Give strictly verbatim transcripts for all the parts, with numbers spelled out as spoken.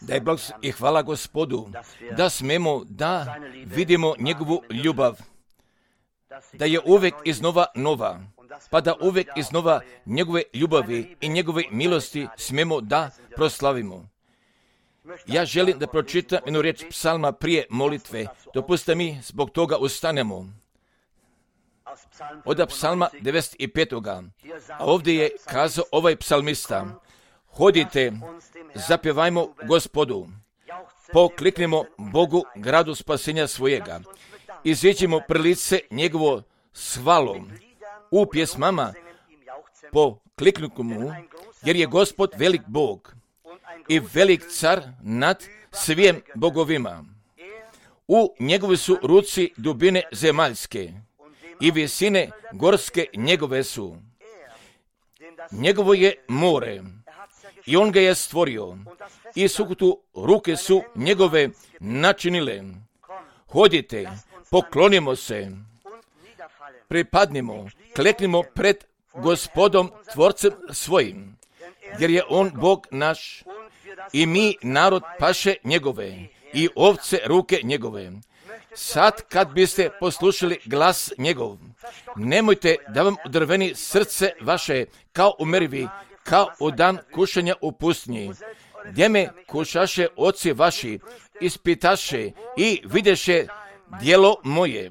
Daj blagoslov i hvala Gospodu, da smemo da vidimo njegovu ljubav, da je uvijek iznova nova, pa da uvijek iznova njegove ljubavi i njegove milosti smemo da proslavimo. Ja želim da pročitam jednu riječ psalma prije molitve. Dopustite mi, zbog toga ustanemo. Od psalma devedeset pet. A ovdje je kazao ovaj psalmista: hodite, zapjevajmo Gospodu, pokliknimo Bogu, gradu spasenja svojega, iziđimo pred lice njegovo s hvalom, u pjesmama pokliknimo mu, jer je Gospod velik Bog i velik car nad svim bogovima. U njegovi su ruci dubine zemaljske i visine gorske njegove su. Njegovo je more i on ga je stvorio i sukotu ruke su njegove načinile. Hodite, poklonimo se, pripadnimo, kleknimo pred Gospodom tvorcem svojim, jer je on Bog naš i mi narod paše njegove i ovce ruke njegove. Sad kad biste poslušali glas njegov, nemojte da vam drveni srce vaše kao u merivi, kao u dan kušanja u pustinji, gdje me kušaše oci vaši, ispitaše i videše djelo moje.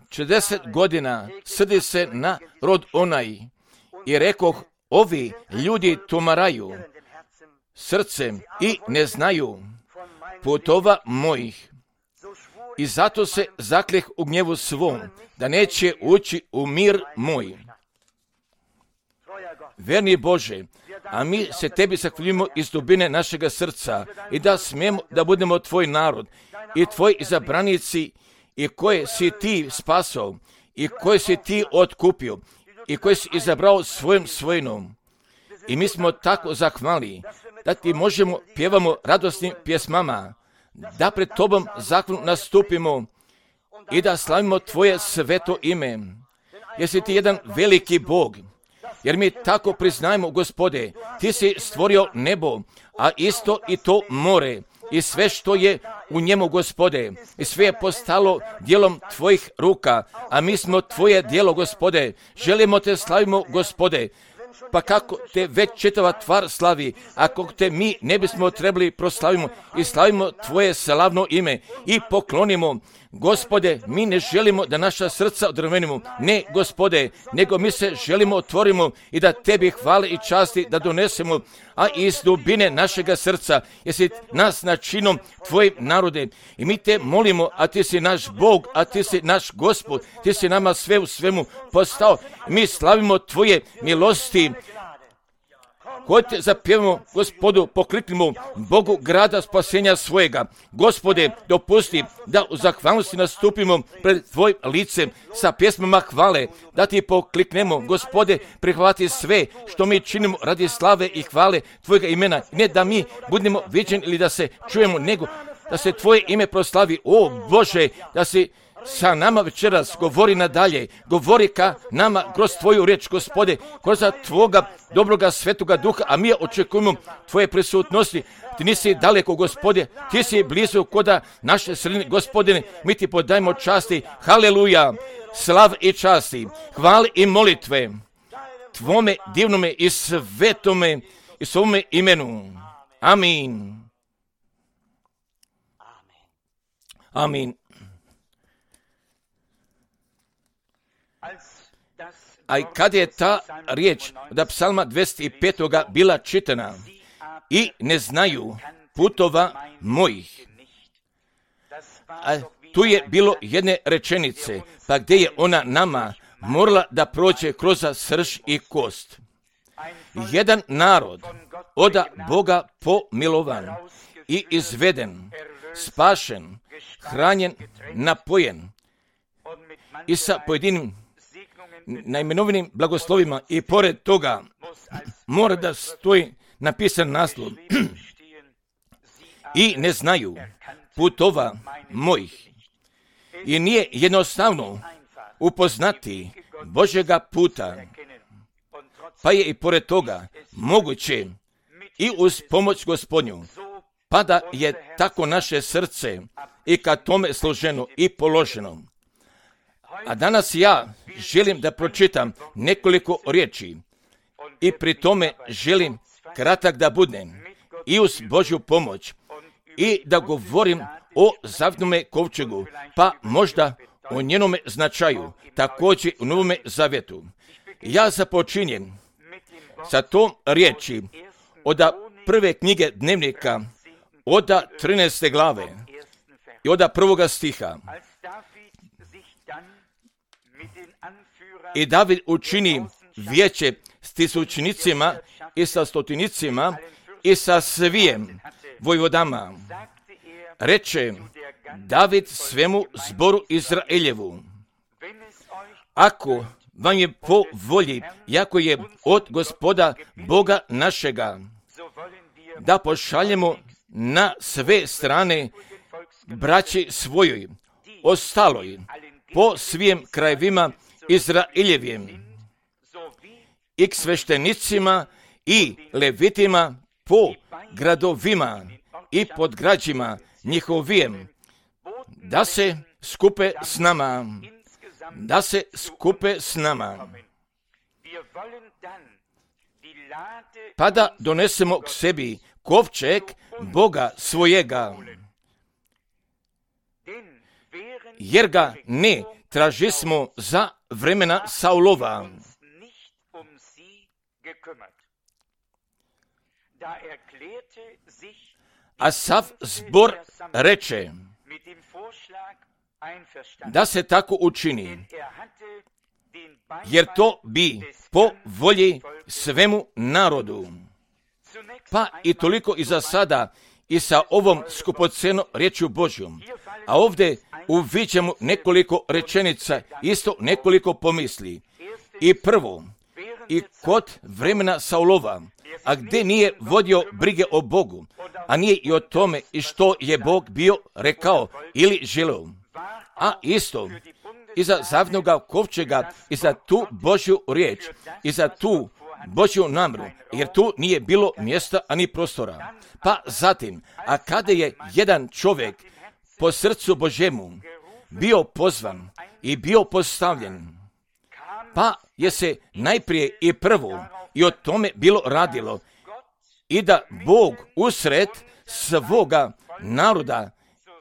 četrdeset godina srdi se na rod onaj i rekoh, ovi ljudi tumaraju srcem i ne znaju putova mojih. I zato se zakleh u gnjevu svom, da neće ući u mir moj. Verni Bože, a mi se tebi zahvaljujemo iz dubine našega srca i da smijemo da budemo tvoj narod i tvoji izabranici i koje si ti spasao i koje si ti otkupio i koje si izabrao svojim svojinom. I mi smo tako zahvali da ti možemo pjevamo radosnim pjesmama, da pred tobom zahvalno nastupimo i da slavimo tvoje sveto ime. Jer si ti jedan veliki Bog. Jer mi tako priznajemo, Gospode, ti si stvorio nebo, a isto i to more i sve što je u njemu, Gospode, i sve je postalo djelom tvojih ruka, a mi smo tvoje djelo, Gospode. Želimo te slavimo, Gospode. Pa kako te već čitava tvar slavi, ako te mi ne bismo trebali proslavimo i slavimo tvoje slavno ime i poklonimo. Gospode, mi ne želimo da naša srca odrvenimo, ne, Gospode, nego mi se želimo otvorimo i da tebi hvale i časti da donesemo, a iz dubine našega srca, jesi nas načinom tvojim narode. I mi te molimo, a ti si naš Bog, a ti si naš Gospod, ti si nama sve u svemu postao. Mi slavimo tvoje milosti. Hodite, zapjevamo Gospodu, pokliknimo Bogu grada spasenja svojega. Gospode, dopusti da u zahvalnosti nastupimo pred tvojim licem sa pjesmama hvale, da ti pokliknemo. Gospode, prihvati sve što mi činimo radi slave i hvale tvojega imena. Ne da mi budemo viđeni ili da se čujemo, nego da se tvoje ime proslavi. O Bože, da si sa nama večeras govori nadalje, govori ka nama kroz tvoju riječ, Gospode, kroz tvoga dobroga svetoga duha, a mi očekujemo tvoje prisutnosti. Ti nisi daleko, Gospode, ti si blizu koda naše sredine, Gospodine, mi ti podajemo časti, haleluja, slav i časti, hvale i molitve tvome divnome i svetome i svome imenu. Amin. Amin. A i kad je ta riječ od psalma dvadeset pet. bila čitana, i ne znaju putova mojih. A tu je bilo jedne rečenice, pa gdje je ona nama morala da prođe kroz srž i kost. Jedan narod od Boga pomilovan i izveden, spašen, hranjen, napojen i sa pojedinim najmenovanim blagoslovima i pored toga mora da stoji napisan naslov i ne znaju putova mojih. I nije jednostavno upoznati Božjega puta, pa je i pored toga moguće i uz pomoć Gospodnju pa da je tako naše srce i ka tome složeno i položeno. A danas ja želim da pročitam nekoliko riječi i pri tome želim kratak da budem i uz Božju pomoć i da govorim o zavjetnome kovčegu, pa možda o njenome značaju, također u Novome Zavjetu. Ja započinjem sa tom riječi od prve knjige dnevnika, od trinaeste glave i od prvoga stiha. I David učini vijeće s tisućnicima i sa stotinicima i sa svijem vojvodama. Reče David svemu zboru Izraeljevu: ako vam je po volji, jako je od Gospoda Boga našega, da pošaljemo na sve strane braći svojoj, ostaloj, po svim krajevima Izraeljevim, i k sveštenicima i levitima po gradovima i pod građima njihovijem, da se skupe s nama, da se skupe s nama, pa da donesemo k sebi kovčeg Boga svojega, jer ga ne tražismo za vremena Saulova. A sav zbor reče da se tako učini, jer to bi po volji svemu narodu. Pa i toliko i za sada i sa ovom skupocenom riječju Božjom. A ovdje uviđamo nekoliko rečenica, isto nekoliko pomisli. I prvo, i kod vremena Saulova, a gdje nije vodio brige o Bogu, a nije i o tome i što je Bog bio rekao ili želeo. A isto i za zavjetnoga kovčega i za tu Božju riječ i za tu Božju namjeru, jer tu nije bilo mjesta ani prostora. Pa zatim, a kada je jedan čovjek po srcu Božjemu bio pozvan i bio postavljen, pa je se najprije i prvo i o tome bilo radilo, i da Bog usred svoga naroda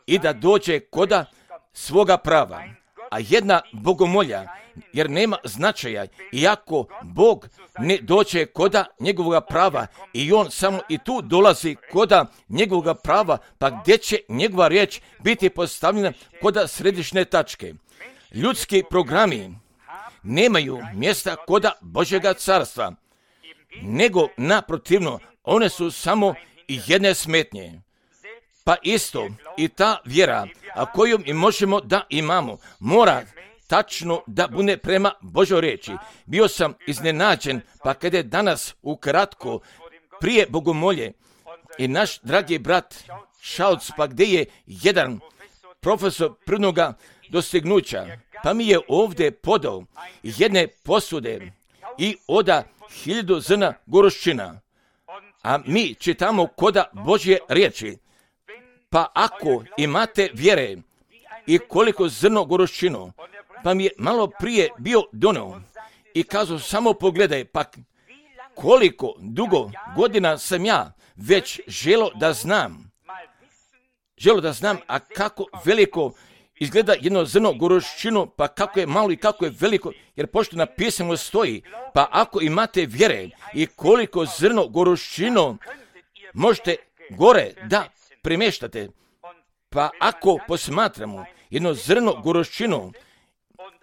i da dođe koda svoga prava. A jedna bogomolja, jer nema značaja, iako Bog ne dođe koda njegovoga prava i on samo i tu dolazi koda njegovoga prava, pa gdje će njegova riječ biti postavljena koda središnje tačke. Ljudski programi nemaju mjesta koda Božjega carstva, nego naprotivno, one su samo jedne smetnje. Pa isto i ta vjera, a koju mi možemo da imamo, mora tačno da bude prema Božoj riječi. Bio sam iznenađen, pa kada je danas ukratko prije bogomolje i naš dragi brat Šalc, pa gdje je jedan profesor prvnoga dostignuća, pa mi je ovdje podao jedne posude i oda hiljadu zrna goruščina. A mi čitamo koda Božje riječi. Pa ako imate vjere i koliko zrno goruščinu, pa mi je malo prije bio donio i kazao samo pogledaj, pa koliko dugo godina sam ja već želo da znam, želo da znam, a kako veliko izgleda jedno zrno goruščinu, pa kako je malo i kako je veliko, jer pošto napisano stoji, pa ako imate vjere i koliko zrno goruščinu možete gore da premještate, pa ako posmatramo jedno zrno goruščinu,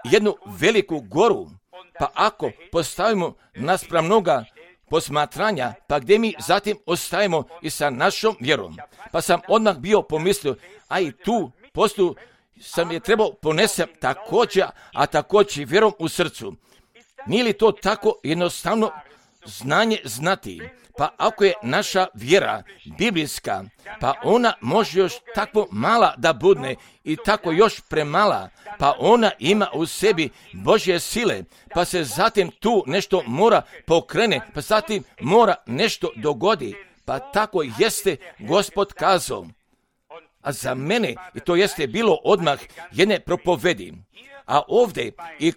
jednu veliku goru, pa ako postavimo naspram mnoga posmatranja, pa gdje mi zatim ostajemo i sa našom vjerom. Pa sam odmah bio pomislio, a i tu postu sam je trebao ponesem također, a također vjerom u srcu. Nije li to tako jednostavno znanje znati? Pa ako je naša vjera biblijska, pa ona može još tako mala da budne i tako još premala, pa ona ima u sebi Božje sile, pa se zatim tu nešto mora pokrene, pa zatim mora nešto dogodi, Pa tako jeste Gospod kazao. A za mene, i to jeste bilo odmah jedne propovedi. A ovdje i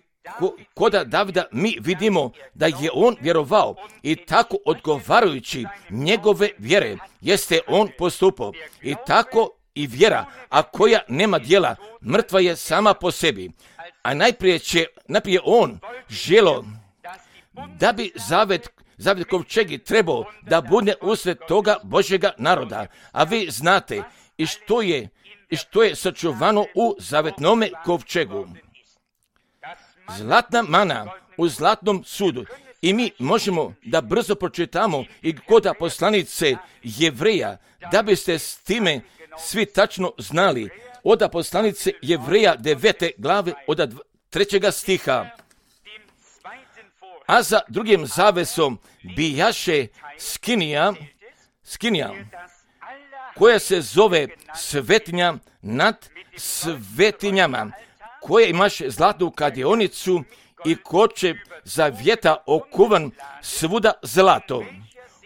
koda Davida mi vidimo da je on vjerovao i tako odgovarajući njegove vjere jeste on postupao. I tako i vjera, a koja nema djela, mrtva je sama po sebi. A najprije će, najprije on želo da bi zavet, zavet kovčegi trebao da bude usred toga Božjega naroda. A vi znate i što je, i što je sačuvano u zavetnome kovčegu. Zlatna mana u zlatnom sudu. I mi možemo da brzo pročitamo i koda poslanice Jevreja, da biste s time svi tačno znali. Oda poslanice Jevreja devete glave od trećega stiha. A za drugim zavesom bijaše skinija, skinija, koja se zove svetinja nad svetinjama, koja imaše zlatnu kadionicu i koče zavjeta okuvan svuda zlato,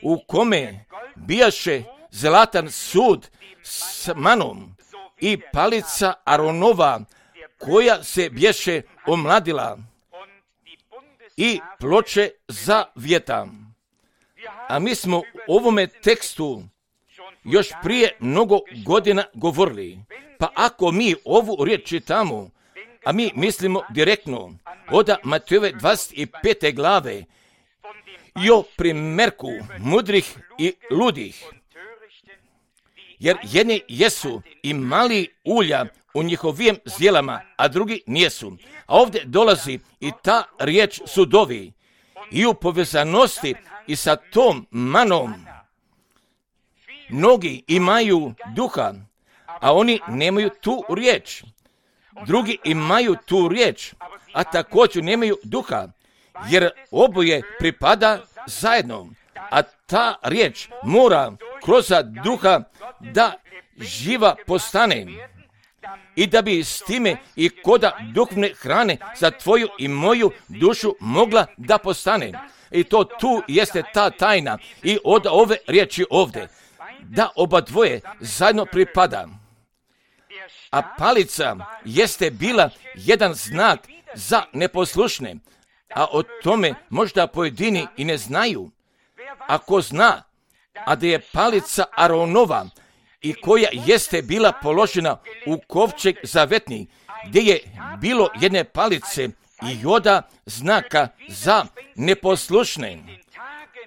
u kome bijaše zlatan sud s manom i palica Aronova, koja se bješe omladila, i ploče zavjeta. A mi smo u ovome tekstu još prije mnogo godina govorili. Pa ako mi ovu riječ čitamo, a mi mislimo direktno od Matejove dvadeset pete glave i o primjerku mudrih i ludih, jer jedni jesu imali ulja u njihovim zjelama, a drugi nijesu. A ovdje dolazi i ta riječ sudovi i u povezanosti i sa tom manom. Mnogi imaju duha, a oni nemaju tu riječ. Drugi imaju tu riječ, a također nemaju duha, jer oboje pripada zajedno. A ta riječ mora kroz duha da živa postane i da bi s time i koda duhovne hrane za tvoju i moju dušu mogla da postane. I to tu jeste ta tajna i od ove riječi ovdje, da oba dvoje zajedno pripada. A palica jeste bila jedan znak za neposlušne, a o tome možda pojedini i ne znaju. Ako zna, a da je palica Aronova i koja jeste bila položena u kovčeg zavetni, gdje je bilo jedne palice i joda znaka za neposlušne.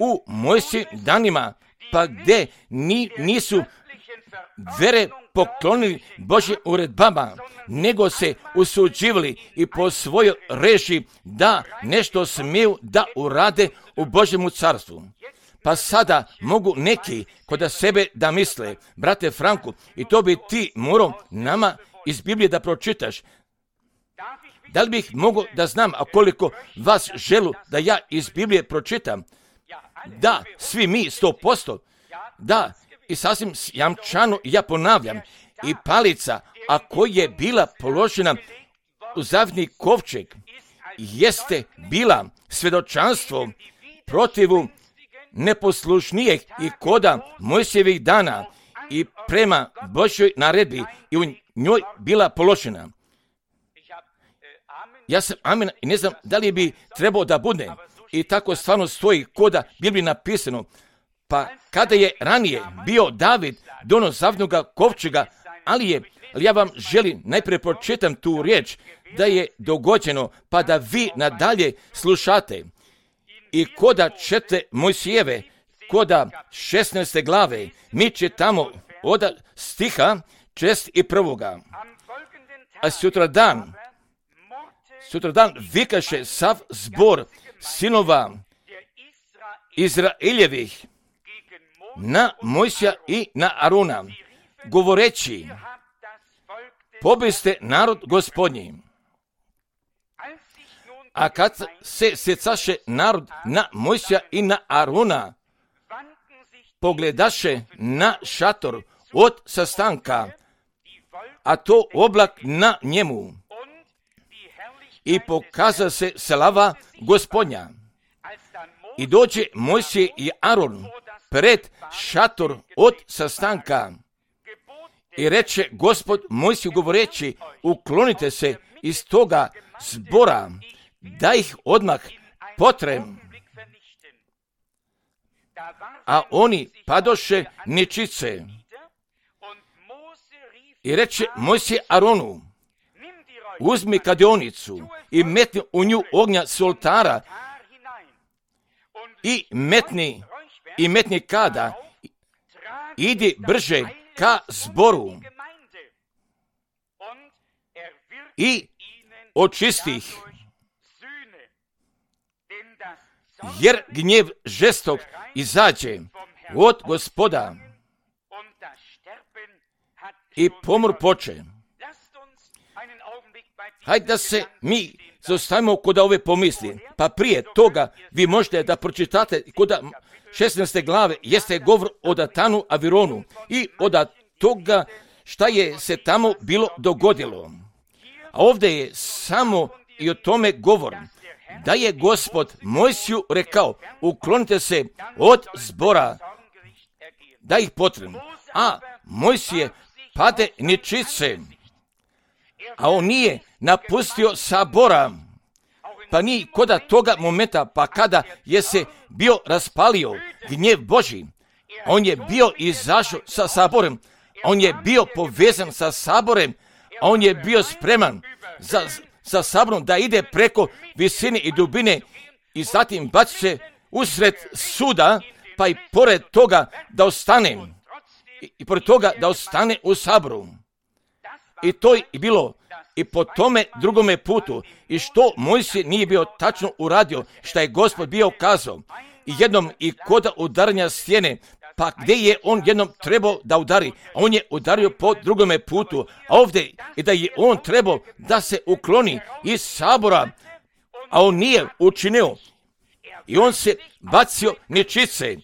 U Mojsijevim danima, pa gdje ni, nisu vere poklonili Božjim uredbama, nego se usuđivali i po svojoj režiji da nešto smiju da urade u Božjemu carstvu. Pa sada mogu neki kod sebe da misle, brate Franku, i to bi ti morao nama iz Biblije da pročitaš. Da li bih mogao da znam, a koliko vas želu da ja iz Biblije pročitam? Da, svi mi, sto posto. Da, i sasvim jamčano ja ponavljam. I palica, a koja je bila položena u zavetni kovčeg, jeste bila svjedočanstvo protivu neposlušnijeg i koda Mojsijevih dana i prema Božjoj naredbi i u njoj bila položena. Ja sam amen i ne znam da li bi trebao da bude. I tako stvarno stoji koda Bibliji napisano. Pa kada je ranije bio David dono zavetnoga kovčega, ali je, ali ja vam želim najprije pročitam tu riječ da je dogođeno, pa da vi nadalje slušate. I koda čete Mojsijeve, koda šesnaeste glave, mi čitamo od stiha čest i prvoga. A sutradan, sutradan vikaše sav zbor sinova Izraeljevih na Mojsija i na Arona, govoreći, pobiste narod Gospodnji. A kad se sjecaše narod na Mojsija i na Arona, pogledaše na šator od sastanka, a to oblak na njemu, i pokaza se slava Gospodnja. I dođe Mojsije i Aron pred šator od sastanka. I reče Gospod Mojsiju govoreći, uklonite se iz toga zbora, da ih odmah potrem. A oni padoše nečice. I reče Mojsije Aronu, uzmi kadionicu i metni u nju ognja s oltara i metni, i metni kada, idi brže ka zboru i očisti ih, jer gnjev žestok izađe od Gospoda i pomor poče. Hajde da se mi zaustavimo kod ove pomisli. Pa prije toga vi možete da pročitate kod šesnaeste glave jeste govor o Datanu Avironu i od toga šta je se tamo bilo dogodilo. A ovdje je samo i o tome govor. Da je Gospod Mojsiju rekao, uklonite se od zbora, da ih potrebno. A Mojsije pade nečice, a on nije napustio sabora, pa ni koda toga momenta, pa kada je se bio raspalio gnjev Božji, on je bio izašao sa saborem, on je bio povezan sa saborem, a on je bio spreman za, sa saborom da ide preko visine i dubine i zatim baci se usred suda, pa i pored toga da ostane, i, i pored toga da ostane u saboru. I to je bilo i po tome drugome putu. I što Mojsije nije bio tačno uradio, što je Gospod bio kazao. I jednom i kod udaranja stijene, pa gdje je on jednom trebao da udari? On je udario po drugome putu. A ovdje i da je on trebao da se ukloni iz sabora, a on nije učinio. I on se bacio nečice.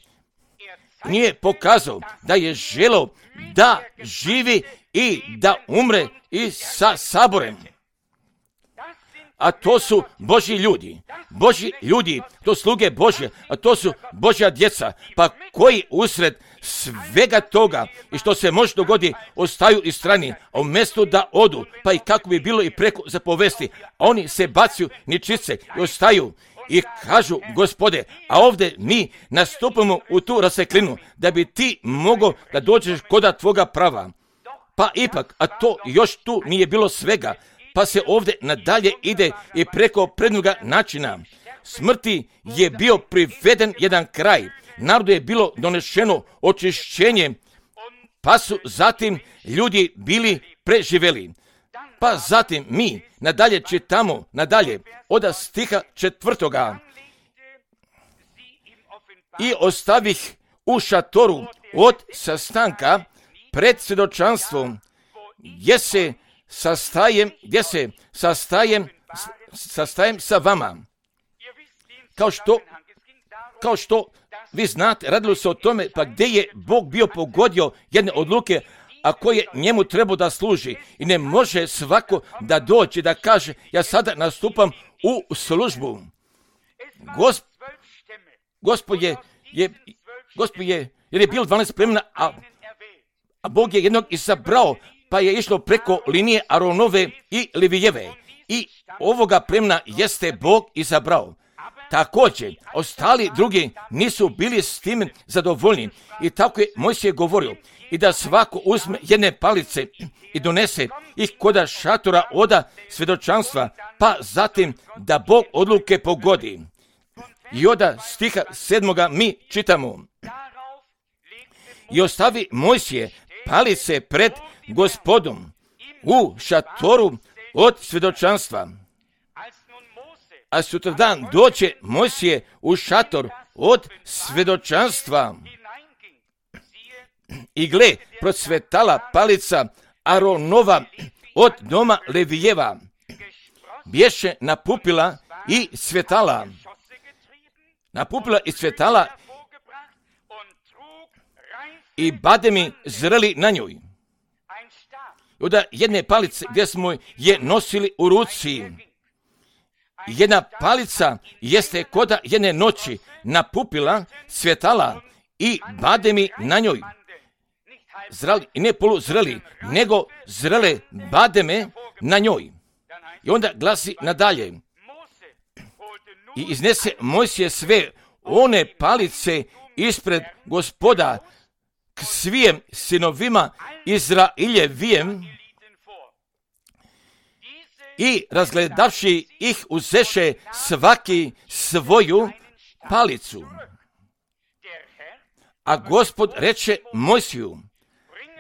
Nije pokazao da je želeo da živi i da umre i sa saborem. A to su Božji ljudi. Božji ljudi, to sluge Božje, a to su Božja djeca. Pa koji usred svega toga i što se može dogoditi, ostaju i strani, a umjesto da odu, pa i kako bi bilo i preko zapovesti, oni se bacaju nečice i ostaju. I kažu, Gospode, a ovdje mi nastupamo u tu raseklinu, da bi ti mogao da dođeš koda tvoga prava. Pa ipak, a to još tu nije bilo svega, pa se ovdje nadalje ide i preko prednoga načina. Smrti je bio priveden jedan kraj, narodu je bilo donešeno očišćenje, pa su zatim ljudi bili preživeli. Pa zatim mi nadalje čitamo, nadalje, od stiha četvrtoga. I ostavih u šatoru od sastanka pred svjedočanstvom, gdje se sastajem, gdje se sastajem, sastajem sa vama. Kao što, kao što vi znate, radilo se o tome, pa gdje je Bog bio pogodio jedne odluke, a koje njemu treba da služi. I ne može svako da dođe da kaže, ja sada nastupam u službu. Gosp, Gospod je, je, Gospod je, jer je bilo dvanaest plemena, a, a Bog je jednog izabrao, pa je išlo preko linije Aronove i Levijeve. I ovoga plemena jeste Bog izabrao. Također, ostali drugi nisu bili s tim zadovoljni. I tako je Mojsije govorio. I da svako uzme jedne palice i donese ih koda šatora oda svjedočanstva, pa zatim da Bog odluke pogodi. I oda stiha sedmoga mi čitamo. I ostavi Mojsije palice pred Gospodom u šatoru od svjedočanstva. A sutradan doće Mojsije u šator od svjedočanstva. I gle, procvetala palica Aronova od doma Levijeva. Bješe napupila i cvjetala. Napupila i cvjetala i bademi zreli na njoj. Od jedne palice gdje smo je nosili u ruci. Jedna palica jeste koda jedne noći napupila, cvjetala i bademi na njoj. Zrali, i ne poluzreli, nego zrele bademe na njoj. I onda glasi nadalje. I iznese Mojsije sve one palice ispred Gospoda k svijem sinovima Izrailjevijem i razgledavši ih uzeše svaki svoju palicu. A Gospod reče Mojsiju,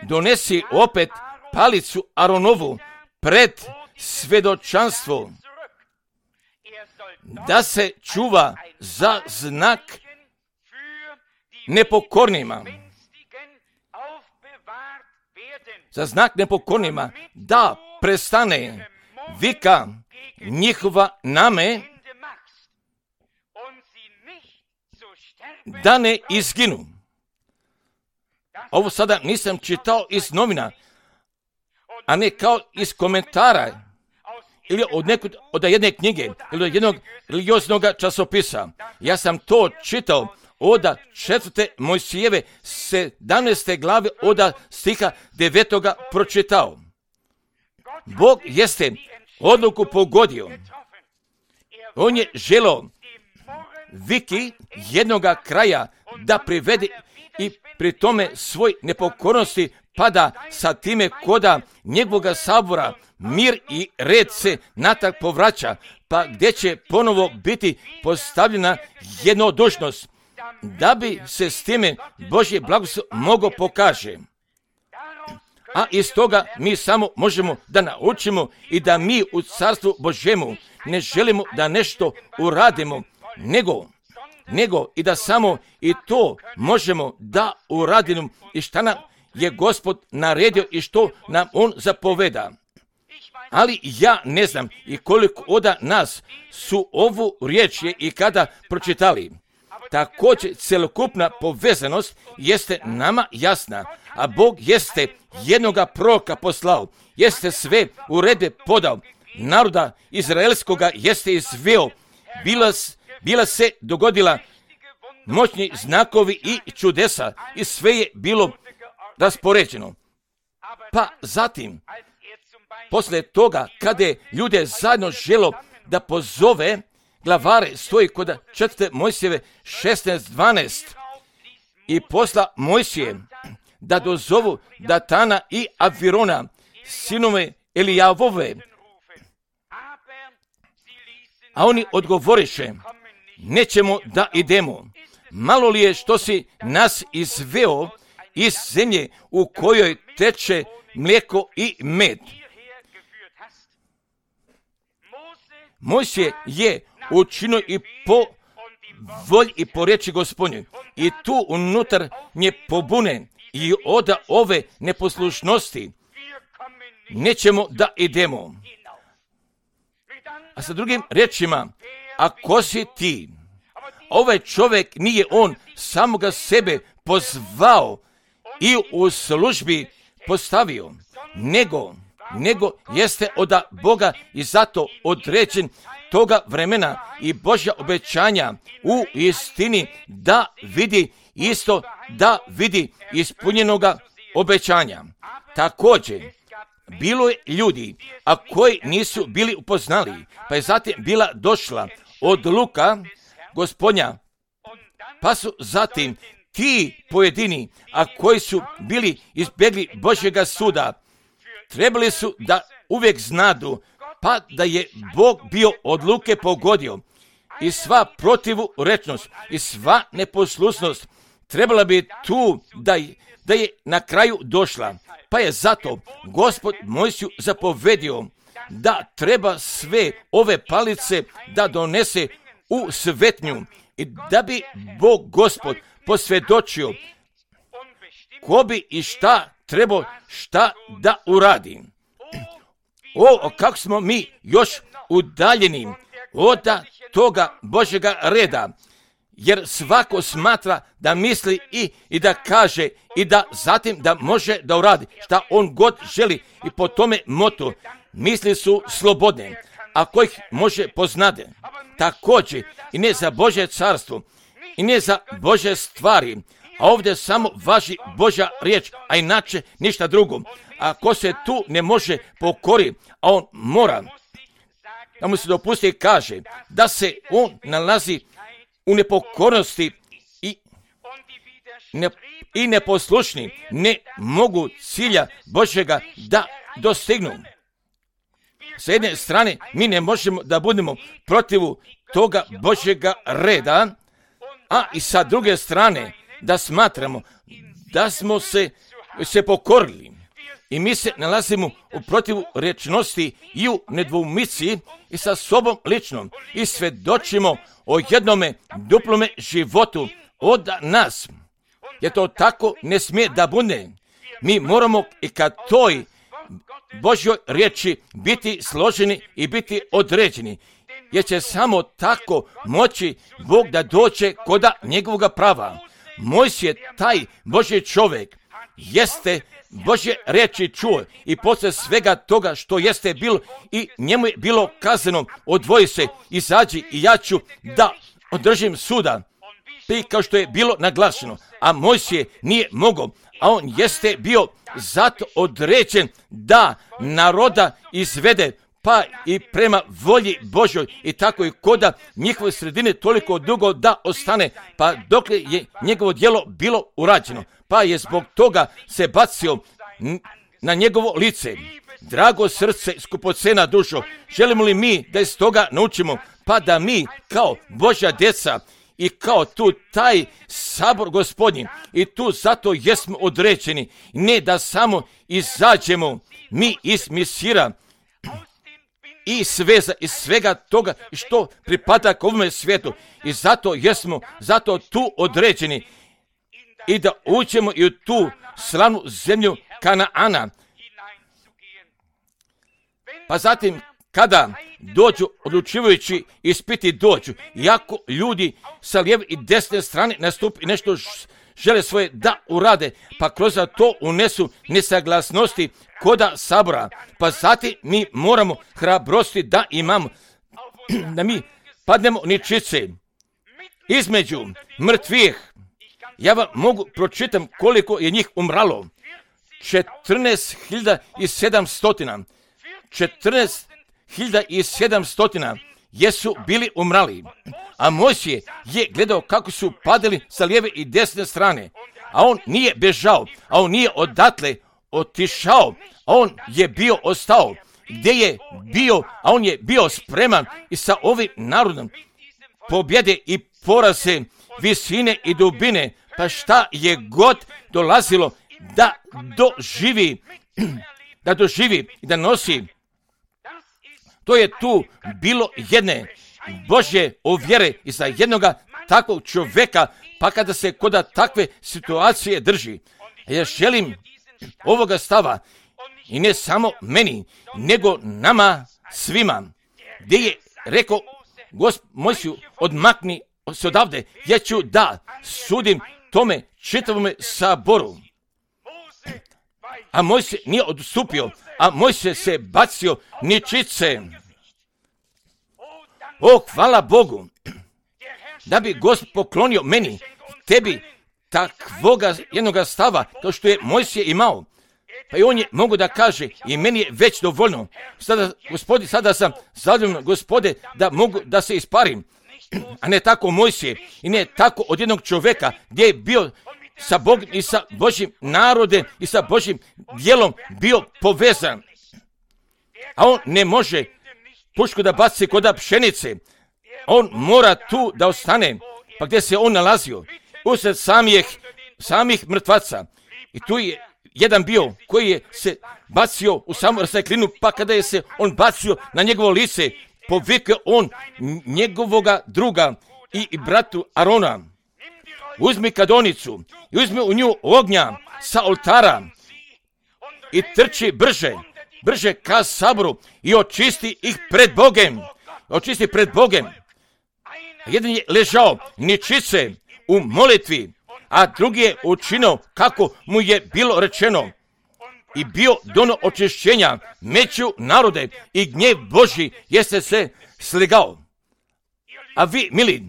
donesi opet palicu Aronovu pred svedočanstvo, da se čuva za znak nepokornima. Za znak nepokornima, da prestane vika njihova name, da ne izginu. Ovo sada nisam čitao iz novina, a ne kao iz komentara ili od, nekud, od jedne knjige ili od jednog religioznog časopisa. Ja sam to čitao od četvrte Mojsijeve sedamnaeste glave od stiha devetoga pročitao. Bog jeste odluku pogodio. On je želio viki jednoga kraja da privede i pri tome svoj nepokornosti pada sa time koda njegovoga sabora mir i red se natrag povraća, pa gdje će ponovo biti postavljena jednodušnost, da bi se s time Božje blagoslov moglo pokaže. A iz toga mi samo možemo da naučimo i da mi u Carstvu Božjemu ne želimo da nešto uradimo, nego nego i da samo i to možemo da uradimo i šta nam je Gospod naredio i što nam On zapoveda. Ali ja ne znam i koliko od nas su ovu riječ je i kada pročitali. Također celokupna povezanost jeste nama jasna, a Bog jeste jednoga proroka poslao, jeste sve uredbe podao, naroda izraelskoga jeste izveo, bila Bila se dogodila moćni znakovi i čudesa i sve je bilo raspoređeno. Pa zatim, posle toga, kada je ljude zajedno želo da pozove glavare, stoji kod četvrte Mojsijeve šesnaest dvanaest i posla Mojsije da dozovu Datana i Avirona, sinove Elijavove. A oni odgovoriše, nećemo da idemo. Malo li je što si nas izveo iz zemlje u kojoj teče mlijeko i med. Mojsije je učinio i po volji i po riječi Gospodnjoj. I tu unutar nje pobune i od ove neposlušnosti nećemo da idemo. A sa drugim riječima, ako si ti, ovaj čovjek nije on samoga sebe pozvao i u službi postavio, nego, nego jeste od Boga i zato određen toga vremena i Božja obećanja u istini da vidi isto, da vidi ispunjenoga obećanja. Također, bilo je ljudi, a koji nisu bili upoznali, pa je zatim bila došla odluka Gospodnja, pa su zatim ti pojedini, a koji su bili izbjegli Božjega suda, trebali su da uvijek znadu, pa da je Bog bio odluke pogodio i sva protivurečnost i sva neposlušnost trebala bi tu da, da je na kraju došla. Pa je zato Gospod Mojsiju zapovedio da treba sve ove palice da donese u svetnju i da bi Bog Gospod posvjedočio ko bi i šta trebao šta da uradi. O, kako smo mi još udaljeni od toga Božjega reda, jer svako smatra da misli i, i da kaže i da zatim da može da uradi šta on god želi i po tome motu misli su slobodne, ako ih može poznade. Također i ne za Božje carstvo i ne za Božje stvari, A ovdje samo važi Božja riječ, a inače ništa drugo. A ko se tu ne može pokori, a on mora, da mu se dopusti i kaže da se on nalazi u nepokornosti i, ne, i neposlušni, ne mogu cilja Božjega da dostignu. Sa jedne strane, mi ne možemo da budemo protivu toga Božjega reda, a i sa druge strane, da smatramo da smo se, se pokorili. I mi se nalazimo u protivu rečnosti i u nedvoumici i sa sobom ličnom i svjedočimo o jednome duplome životu od nas. Jer to tako ne smije da bude. Mi moramo i ka toj Božjoj riječi biti složeni i biti određeni. Jer će samo tako moći Bog da dođe koda njegovoga prava. Mojsije, taj Božji čovjek, jeste Božje riječi čuo i poslije svega toga što jeste bilo i njemu je bilo kazano, odvoji se, izađi i ja ću da održim suda. I kao što je bilo naglašeno, a Mojsije nije mogao, a on jeste bio zato određen da naroda izvede, pa i prema volji Božjoj i tako i koda njihove sredine toliko dugo da ostane, pa dok je njegovo djelo bilo urađeno, pa je zbog toga se bacio na njegovo lice. Drago srce, skupocena dušo, želimo li mi da iz toga naučimo, pa da mi kao Božja djeca i kao tu taj sabor Gospodnji i tu zato jesmo određeni, ne da samo izađemo mi iz misira i sveza iz svega toga što pripada k ovome svijetu i zato jesmo zato tu određeni i da uđemo i u tu slavnu zemlju Kanaana. Pa zatim kada dođu odlučivajući ispiti dođu, iako ljudi sa lijeve i desne strane nastupi nešto žele svoje da urade, pa kroz to unesu nesaglasnosti koda sabora, pa zatim mi moramo hrabrosti da imamo, da mi padnemo ničice između mrtvih. Ja vam mogu pročitam koliko je njih umralo. četrnaest hiljada sedamsto. četrnaest hiljada sedamsto jesu bili umrali. A Mojsije je gledao kako su padali sa lijeve i desne strane. A on nije bežao, a on nije odatle otišao, a on je bio ostao. Gdje je bio, a on je bio spreman i sa ovim narodom pobjede i poraze, visine i dubine, pa šta je god dolazilo da doživi, da doživi i da nosi. To je tu bilo jedne Božje ovjere i za jednoga takvog čovjeka, pa kada se koda takve situacije drži. Ja želim ovoga stava i ne samo meni, nego nama svima, gdje je rekao Gospod Mojsiju, odmakni se odavde, ja ću da sudim tome čitavome saboru. A Mojsije nije odstupio, a Mojsije se bacio ničice. O, hvala Bogu, da bi Gospod poklonio meni, tebi, takvoga jednoga stava, kao što je Mojsije imao. Pa i on je mogu da kaže, i meni je već dovoljno. Sada, gospodi, sada sam zadovoljan, Gospode, da mogu da se isparim. A ne tako Mojsije, i ne tako od jednog čovjeka, gdje je bio sa Bogom i sa Božjim narodem i sa Božjim djelom bio povezan. A on ne može pušku da baci koda pšenice. On mora tu da ostane, pa gdje se on nalazio, usred samih, samih mrtvaca. I tu je jedan bio koji je se bacio u samu rasteklinu, pa kada je se on bacio na njegovo lice, povikao on njegovoga druga i, i bratu Arona. Uzmi kadonicu i uzmi u nju ognja sa oltara i trči brže, brže ka saboru i očisti ih pred Bogem. Očisti pred Bogem. Jedan je ležao ničice u molitvi, a drugi je učinio kako mu je bilo rečeno i bio dono očišćenja među narode i gnjev Božji jeste se sligao. A vi, mili,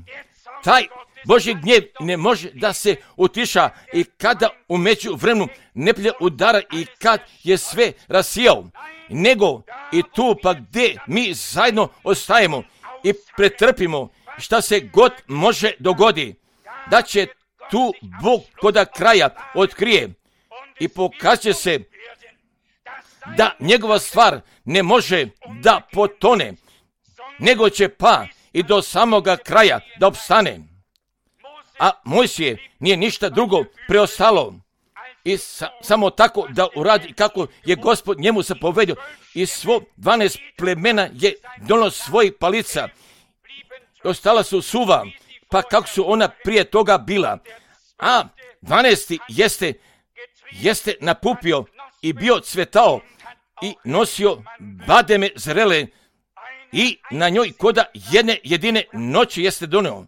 taj Božji gnjev ne može da se utiša i kada u međuvremenu neprijatelj udara i kad je sve rasijao, nego i tu pa gdje mi zajedno ostajemo i pretrpimo šta se god može dogodi, da će tu Bog koda kraja otkrije i pokaže se da njegova stvar ne može da potone, nego će pa i do samoga kraja da opstane. A Mojsije nije ništa drugo preostalo i sa, samo tako da uradi kako je Gospod njemu zapovedio, i svo dvanaest plemena je donalo svojih palica. Ostala su suva, pa kako su ona prije toga bila. A dvanaesti jeste, jeste napupio i bio cvetao i nosio bademe zrele i na njoj koda jedne jedine noći jeste doneo.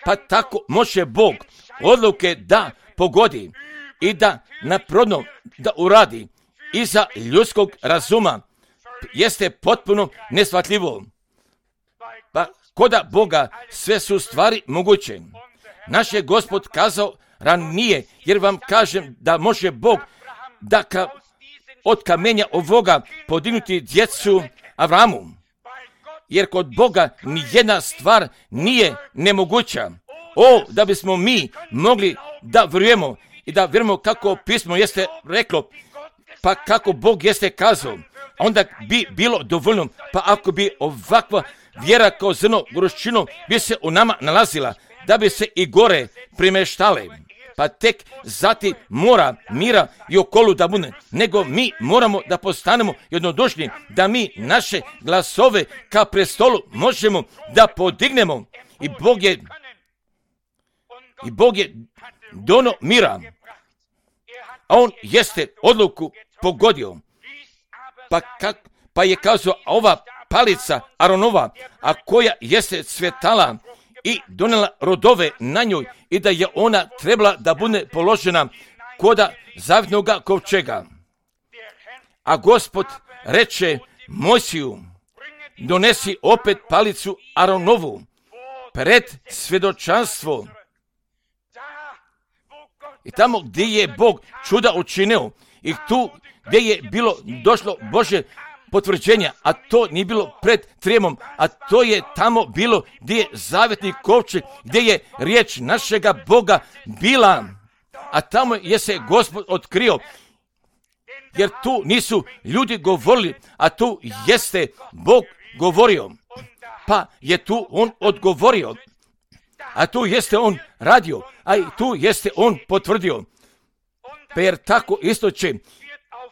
Pa tako može Bog odluke da pogodi i da naprodno da uradi iza ljudskog razuma jeste potpuno neshvatljivo. Pa koda Boga sve su stvari moguće. Naš je Gospod kazao ranije, jer vam kažem da može Bog da ka, od kamenja ovoga podignuti djecu Avramu. Jer kod Boga nijedna stvar nije nemoguća. O, da bismo mi mogli da vjerujemo i da vjerujemo kako pismo jeste reklo, pa kako Bog jeste kazao, onda bi bilo dovoljno. Pa ako bi ovakva vjera kao zrno goruščino bi se u nama nalazila, da bi se i gore primeštale, pa tek zati mora mira i okolu da bude, nego mi moramo da postanemo jednodušni, da mi naše glasove ka prestolu možemo da podignemo. I Bog je i Bog je dono mira, a on jeste odluku pogodio. Pa, kak, pa je kazao, ova palica Aronova, a koja jeste cvetala i donela rodove na njoj, i da je ona trebala da bude položena koda zavjetnoga kovčega. A Gospod reče Mojsiju, donesi opet palicu Aronovu pred svjedočanstvo. I tamo gdje je Bog čuda učinio i tu gdje je bilo došlo Božje potvrđenja, a to nije bilo pred trijemom, a to je tamo bilo gdje je zavjetni kovčeg, gdje je riječ našega Boga bila, a tamo je se Gospod otkrio, jer tu nisu ljudi govorili, a tu jeste Bog govorio, pa je tu on odgovorio, a tu jeste on radio, a i tu jeste on potvrdio. Pa jer tako isto će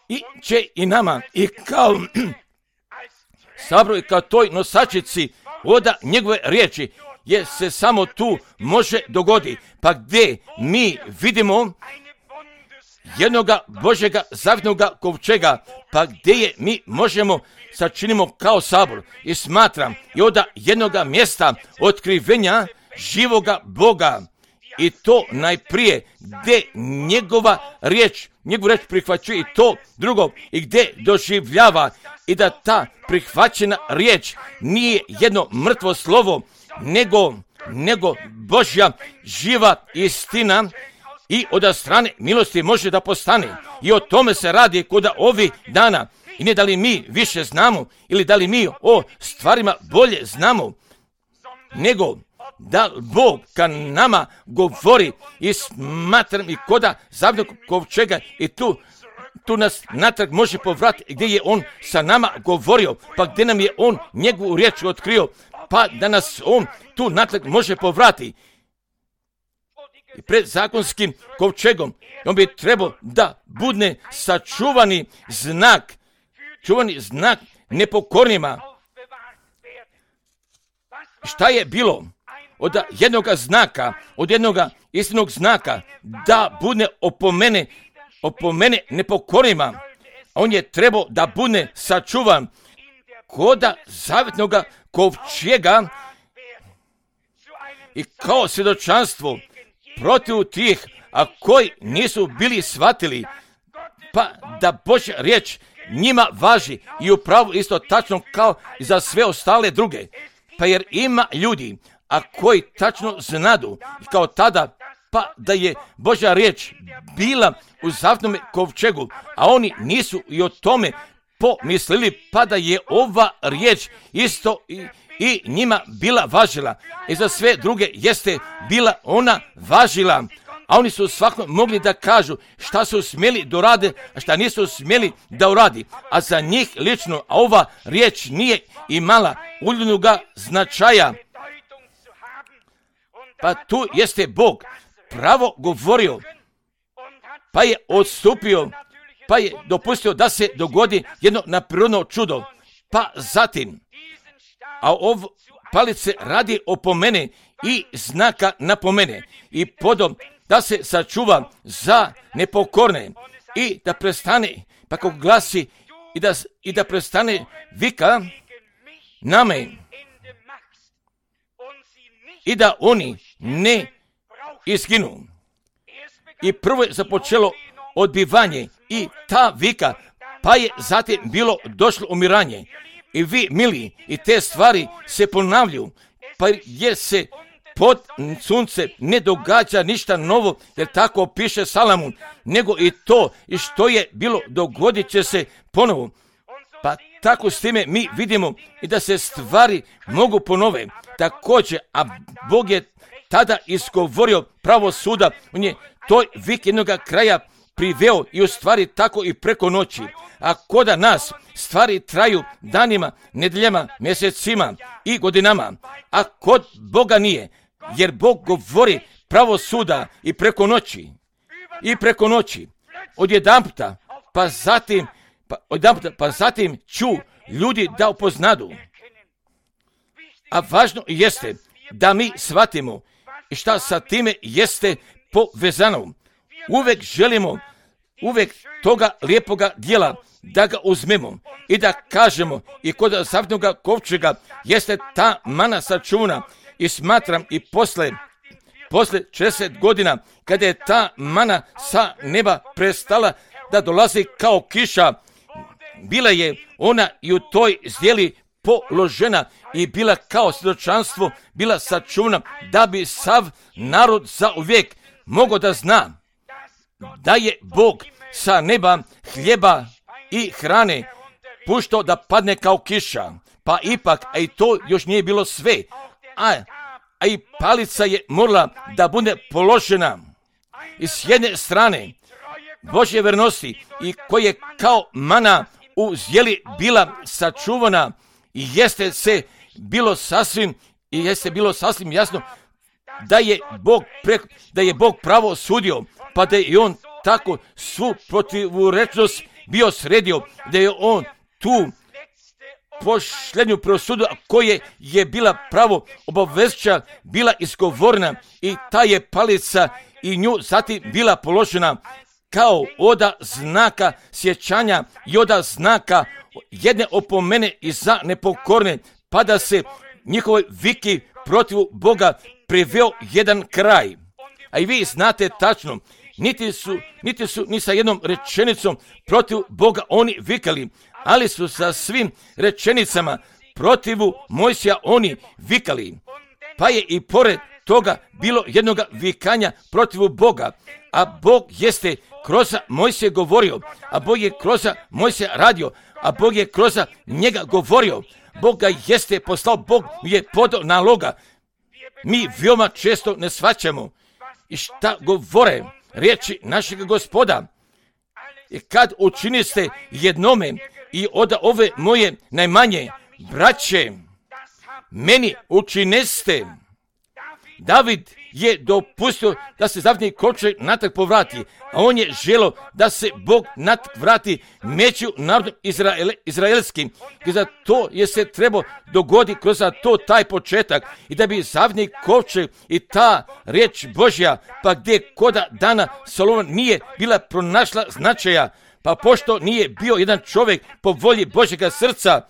i će i nama i kao sabro i kao toj nosačici voda njegove riječi, jer se samo tu može dogodi. Pa gdje mi vidimo jednoga Božjega zavjetnoga kovčega, pa gdje je mi možemo sačinimo kao sabor. I smatram i od jednoga mjesta otkrivenja živoga Boga, i to najprije gdje njegova riječ, njegovu riječ prihvaćuje, i to drugo i gdje doživljava, i da ta prihvaćena riječ nije jedno mrtvo slovo, nego, nego Božja živa istina, i od strane milosti može da postane. I o tome se radi kod ovih dana. I ne da li mi više znamo ili da li mi o stvarima bolje znamo, nego da Bog ka nama govori, i smatram i koda zavjetnog kovčega, i tu, tu nas natrag može povratiti gdje je on sa nama govorio, pa gdje nam je on njegovu riječ otkrio, pa da nas on tu natrag može povratiti. I pred zakonskim kovčegom on bi trebao da bude sačuvani znak, čuvani znak nepokornima. Šta je bilo od jednoga znaka, od jednoga istinog znaka, da bude opomene, opomene nepokornima? On je trebao da bude sačuvan koda zavjetnoga kovčega i kao svjedočanstvo protiv tih, a koji nisu bili shvatili, pa da Božja riječ njima važi i upravo isto tačno kao i za sve ostale druge. Pa jer ima ljudi, a koji tačno znadu kao tada, pa da je Božja riječ bila u zavjetnom kovčegu, a oni nisu i o tome pomislili, pa da je ova riječ isto i, i njima bila važila. I za sve druge jeste bila ona važila. A oni su svakako mogli da kažu šta su smjeli da urade, a šta nisu smjeli da uradi. A za njih lično, a ova riječ nije imala uljudnoga značaja. Pa tu jeste Bog pravo govorio, pa je odstupio, pa je dopustio da se dogodi jedno neprirodno čudo. Pa zatim, a ovo palice radi opomene i znaka napomene i potom da se sačuva za nepokorne i da prestane, pa kako glasi, i da, i da prestane vika na me i da oni ne izginu. I prvo je započelo odbivanje i ta vika, pa je zatim bilo došlo umiranje. I vi, mili, i te stvari se ponavljaju, pa jer se pod sunce ne događa ništa novo, jer tako piše Salamun, nego i to i što je bilo dogodit će se ponovo. Pa tako s time mi vidimo i da se stvari mogu ponove. Također, a Bog je tada izgovorio pravo suda, on je toj vik jednoga kraja priveo i u stvari tako i preko noći. A koda nas stvari traju danima, nedeljama, mjesecima i godinama, a kod Boga nije, jer Bog govori pravo suda i preko noći, i preko noći, odjedanputa, pa zatim, pa, odjedanputa, pa zatim ću ljudi da upoznadu. A važno jeste da mi shvatimo šta sa time jeste povezano. Uvek želimo, uvek toga lijepoga dijela da ga uzmemo i da kažemo i kod zavjetnoga kovčega jeste ta mana sačuvana i smatram i posle, posle šezdeset godina kada je ta mana sa neba prestala da dolazi kao kiša, bila je ona i u toj zdjeli položena i bila kao svjedočanstvo, bila sačuvana da bi sav narod zauvijek mogao da zna da je Bog sa neba hljeba i hrane puštao da padne kao kiša. Pa ipak, a i to još nije bilo sve, a, a i palica je morala da bude položena. I s jedne strane Božje vernosti i koje kao mana u zdjeli bila sačuvana i jeste se bilo sasvim i jeste bilo sasvim jasno da je Bog pre, da je Bog pravo sudio, pa da je on tako svu protivurečnost bio sredio, da je on tu posljednju prosudu koje je bila pravo obavezujuća bila izgovorena i ta je palica i nju zatim bila položena kao oda znaka sjećanja i oda znaka jedne opomene i za nepokorne, pa da se njihovoj viki protiv Boga priveo jedan kraj. A i vi znate tačno, niti su, niti su ni sa jednom rečenicom protiv Boga oni vikali, ali su sa svim rečenicama protivu Mojsija oni vikali. Pa je i pored toga bilo jednoga vikanja protiv Boga, a Bog jeste kroz Mojsija govorio, a Bog je kroz Mojsija radio, a Bog je kroz njega govorio. Bog ga jeste poslao, Bog je podao naloga. Mi veoma često ne shvaćamo i šta govore riječi našeg Gospoda. I kad učiniste jednome i od ove moje najmanje braće, meni učineste. David je dopustio da se zavjetni kovčeg natrag povrati, a on je želio da se Bog natrag vrati među narodom Izrael, izraelskim. I za to je se trebao dogoditi kroz to taj početak i da bi zavjetni kovčeg i ta riječ Božja, pa gdje koda dana Solomon nije bila pronašla značaja, pa pošto nije bio jedan čovjek po volji Božjega srca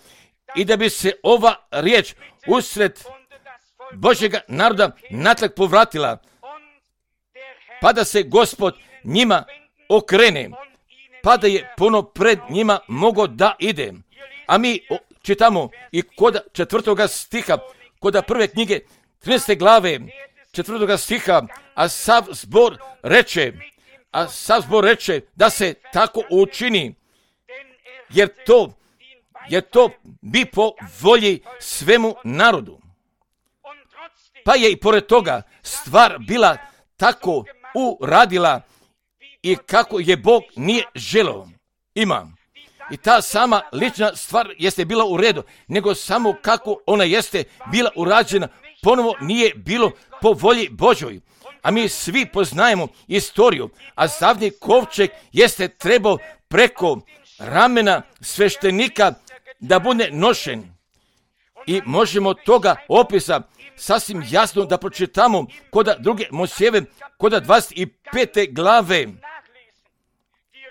i da bi se ova riječ usred Božjega naroda natrag povratila, pa da se Gospod njima okrene, pa da je puno pred njima mogao da ide. A mi čitamo i kod četvrtoga stiha, kod prve knjige trinaeste glave, četvrtoga stiha, a sav zbor reče, a sav zbor reče da se tako učini, jer to, jer to bi po volji svemu narodu. Pa je i pored toga stvar bila tako uradila i kako je Bog nije želeo. Ima. I ta sama lična stvar jeste bila u redu, nego samo kako ona jeste bila urađena, ponovo nije bilo po volji Božoj. A mi svi poznajemo istoriju, a zavni kovčeg jeste trebao preko ramena sveštenika da bude nošen. I možemo toga opisa sasvim jasno da pročitamo kod druge Mojsijeve, kod dvadeset pete glave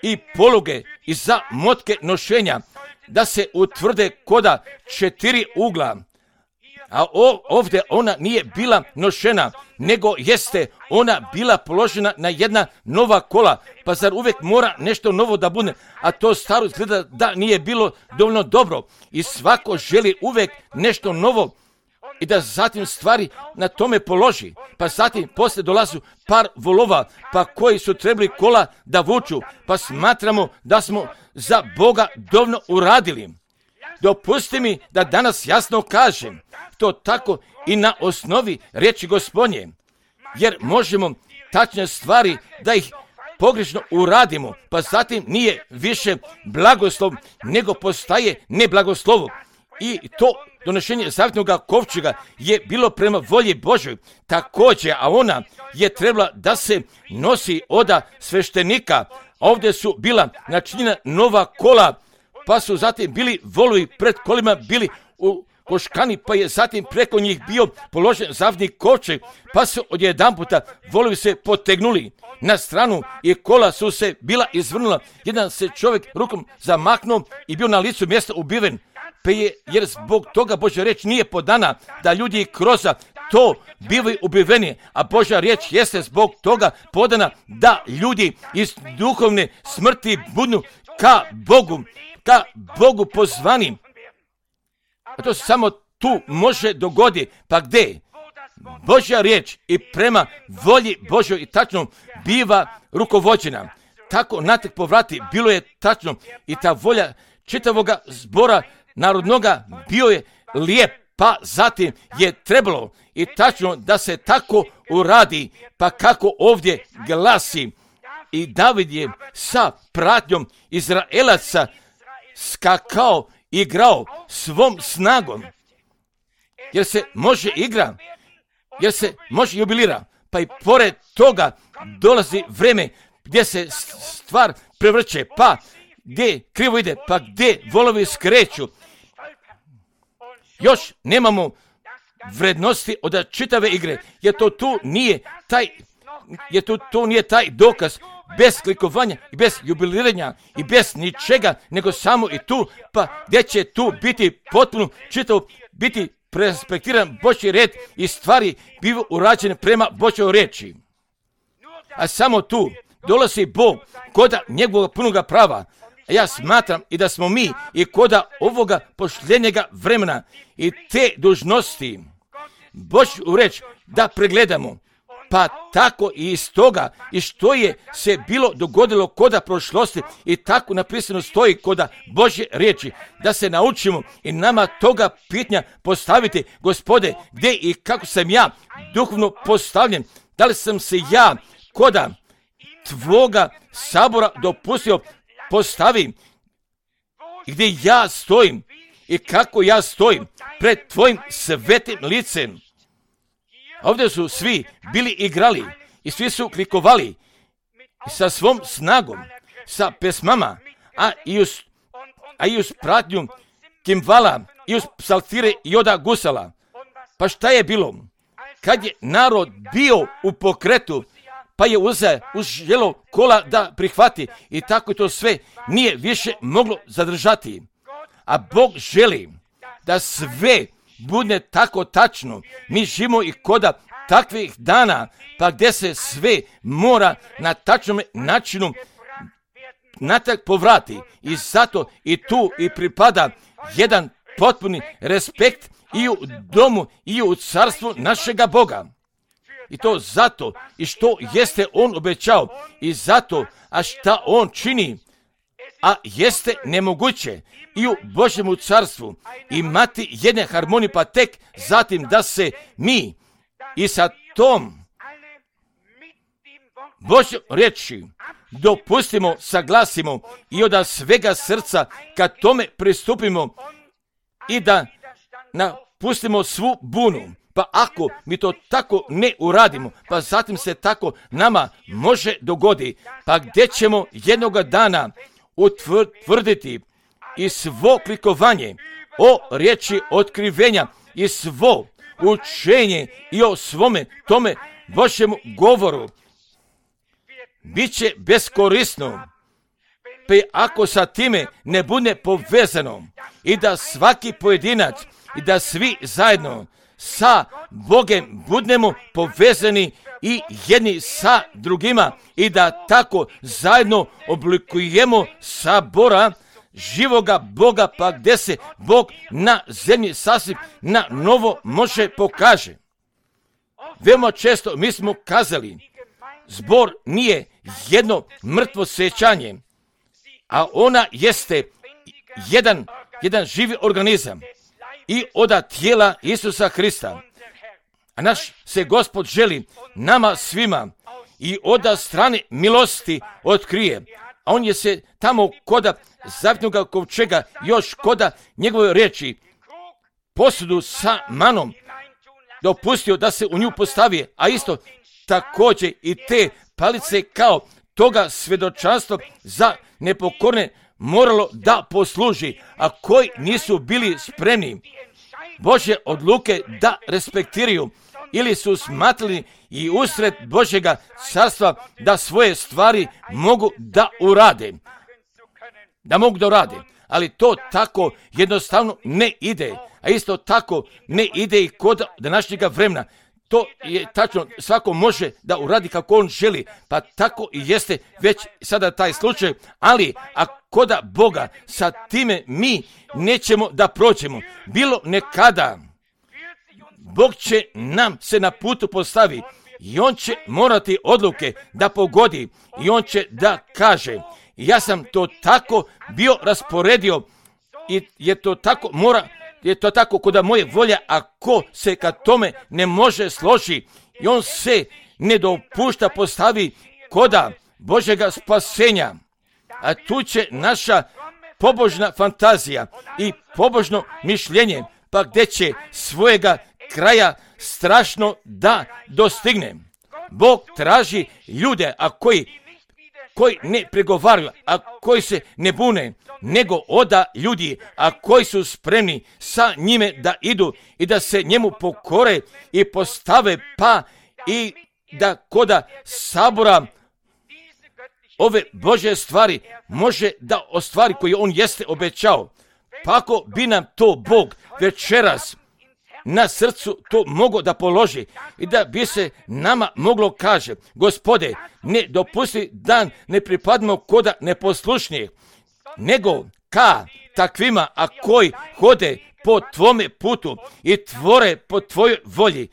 i poluge i za motke nošenja, da se utvrde koda četiri ugla. A ovdje ona nije bila nošena, nego jeste ona bila položena na jedna nova kola. Pa zar uvijek mora nešto novo da bude, a to staro izgleda da nije bilo dovoljno dobro. I svako želi uvijek nešto novo i da zatim stvari na tome položi. Pa zatim poslije dolazu par volova, pa koji su trebali kola da vuču, pa smatramo da smo za Boga dovoljno uradili. Dopusti mi da danas jasno kažem to tako i na osnovi riječi Gospodnje, jer možemo tačne stvari da ih pogrešno uradimo, pa zatim nije više blagoslov, nego postaje neblagoslovo. I to donošenje zavjetnog kovčega je bilo prema volji Božoj također, a ona je trebala da se nosi oda sveštenika. Ovdje su bila načinjena nova kola, pa su zatim bili volovi pred kolima bili u koškani, pa je zatim preko njih bio položen zavjetni kovčeg, pa su odjedanputa volovi se potegnuli na stranu i kola su se bila izvrnula. Jedan se čovjek rukom zamaknuo i bio na licu mjesta ubiven. Pa je, jer zbog toga Božja riječ nije podana da ljudi kroz to bivaju ubiveni, a Božja riječ jeste zbog toga podana da ljudi iz duhovne smrti budu ka Bogu, ka Bogu pozvani. A to se samo tu može dogoditi. Pa gdje? Božja riječ i prema volji Božoj i tačno biva rukovođena. Tako natrag povrati bilo je tačno i ta volja čitavoga zbora narodnoga bio je lijep, pa zatim je trebalo i tačno da se tako uradi, pa kako ovdje glasi. I David je sa pratnjom Izraelaca skakao, igrao svom snagom, jer se može igra, jer se može jubilira, pa i pored toga dolazi vreme gdje se stvar prevrće, pa gdje krivo ide, pa gdje volovi skreću. Još nemamo vrednosti od čitave igre, jer to tu nije taj, jer to, to nije taj dokaz bez klikovanja i bez jubiliranja i bez ničega, nego samo i tu, pa gdje će tu biti potpuno čitavo, biti prespektiran Božji red i stvari bivu urađene prema Božjoj riječi. A samo tu dolazi Bog koda njegovog punoga prava. A ja smatram i da smo mi i koda ovoga posljednjega vremena i te dužnosti Božju reč da pregledamo. Pa tako i iz toga i što je se bilo dogodilo koda prošlosti i tako napisano stoji koda Božje riječi, da se naučimo i nama toga pitanja postaviti, Gospode, gdje i kako sam ja duhovno postavljen, da li sam se ja koda tvoga sabora dopustio postavim, gdje ja stojim i kako ja stojim pred tvojim svetim licem. Ovdje su svi bili igrali i svi su klikovali sa svom snagom, sa pesmama, a i uz, a i uz pratnju kimvala, i uz psaltire i oda gusala. Pa šta je bilo? Kad je narod bio u pokretu, pa je uzeo, uželo kola da prihvati i tako to sve nije više moglo zadržati. A Bog želi da sve bude tako tačno. Mi živimo i koda takvih dana, pa gdje se sve mora na tačnom načinu natrag povrati. I zato i tu i pripada jedan potpuni respekt i u domu i u carstvu našega Boga. I to zato i što jeste on obećao i zato, a šta on čini, a jeste nemoguće i u Božjemu carstvu imati jedne harmonije, pa tek zatim da se mi i sa tom Božjom riječi dopustimo, saglasimo i od svega srca kad tome pristupimo i da napustimo svu bunu. Pa ako mi to tako ne uradimo, pa zatim se tako nama može dogodi, pa gdje ćemo jednoga dana utvrditi i svo klikovanje o riječi otkrivenja i svo učenje i o svome tome Božjemu govoru biće beskorisno, pa ako sa time ne bude povezano i da svaki pojedinac i da svi zajedno sa Bogem budemo povezani i jedni sa drugima i da tako zajedno oblikujemo sabora živoga Boga, pa gdje se Bog na zemlji sasvim na novo može pokaže. Veoma često mi smo kazali, zbor nije jedno mrtvo sjećanje, a ona jeste jedan, jedan živi organizam i od tijela Isusa Hrista. A naš se Gospod želi nama svima i od strane milosti otkrije. A on je se tamo koda zavjetnoga kovčega, još koda njegove riječi, posudu sa manom dopustio da se u nju postavi, a isto također i te palice kao toga svjedočanstva za nepokorne moralo da posluži, a koji nisu bili spremni Božje odluke da respektiraju ili su smatrali i usred Božjega carstva da svoje stvari mogu da urade. Da mogu da urade, ali to tako jednostavno ne ide, a isto tako ne ide i kod današnjega vremena. To je tačno, svako može da uradi kako on želi, pa tako i jeste već sada taj slučaj, ali ako da Boga sa time mi nećemo da prođemo, bilo nekada, Bog će nam se na putu postavi i on će morati odluke da pogodi i on će da kaže, ja sam to tako bio rasporedio i je to tako mora, je to tako kod moje volje, ako se kad tome ne može složi i on se ne dopušta postavi koda Božjega spasenja. A tu će naša pobožna fantazija i pobožno mišljenje, pa gdje će svojega kraja strašno da dostigne. Bog traži ljude, a koji, koji ne pregovaraju, a koji se ne bune, nego oda ljudi, a koji su spremni sa njime da idu i da se njemu pokore i postave, pa i da koda sabora ove Božje stvari može da ostvari koje on jeste obećao. Pa ako bi nam to Bog večeras na srcu to mogo da položi i da bi se nama moglo kaže, Gospode, ne dopusti da ne pripadimo koda neposlušnijih, nego ka takvima, a koji hode po tvome putu i tvore po tvojoj volji,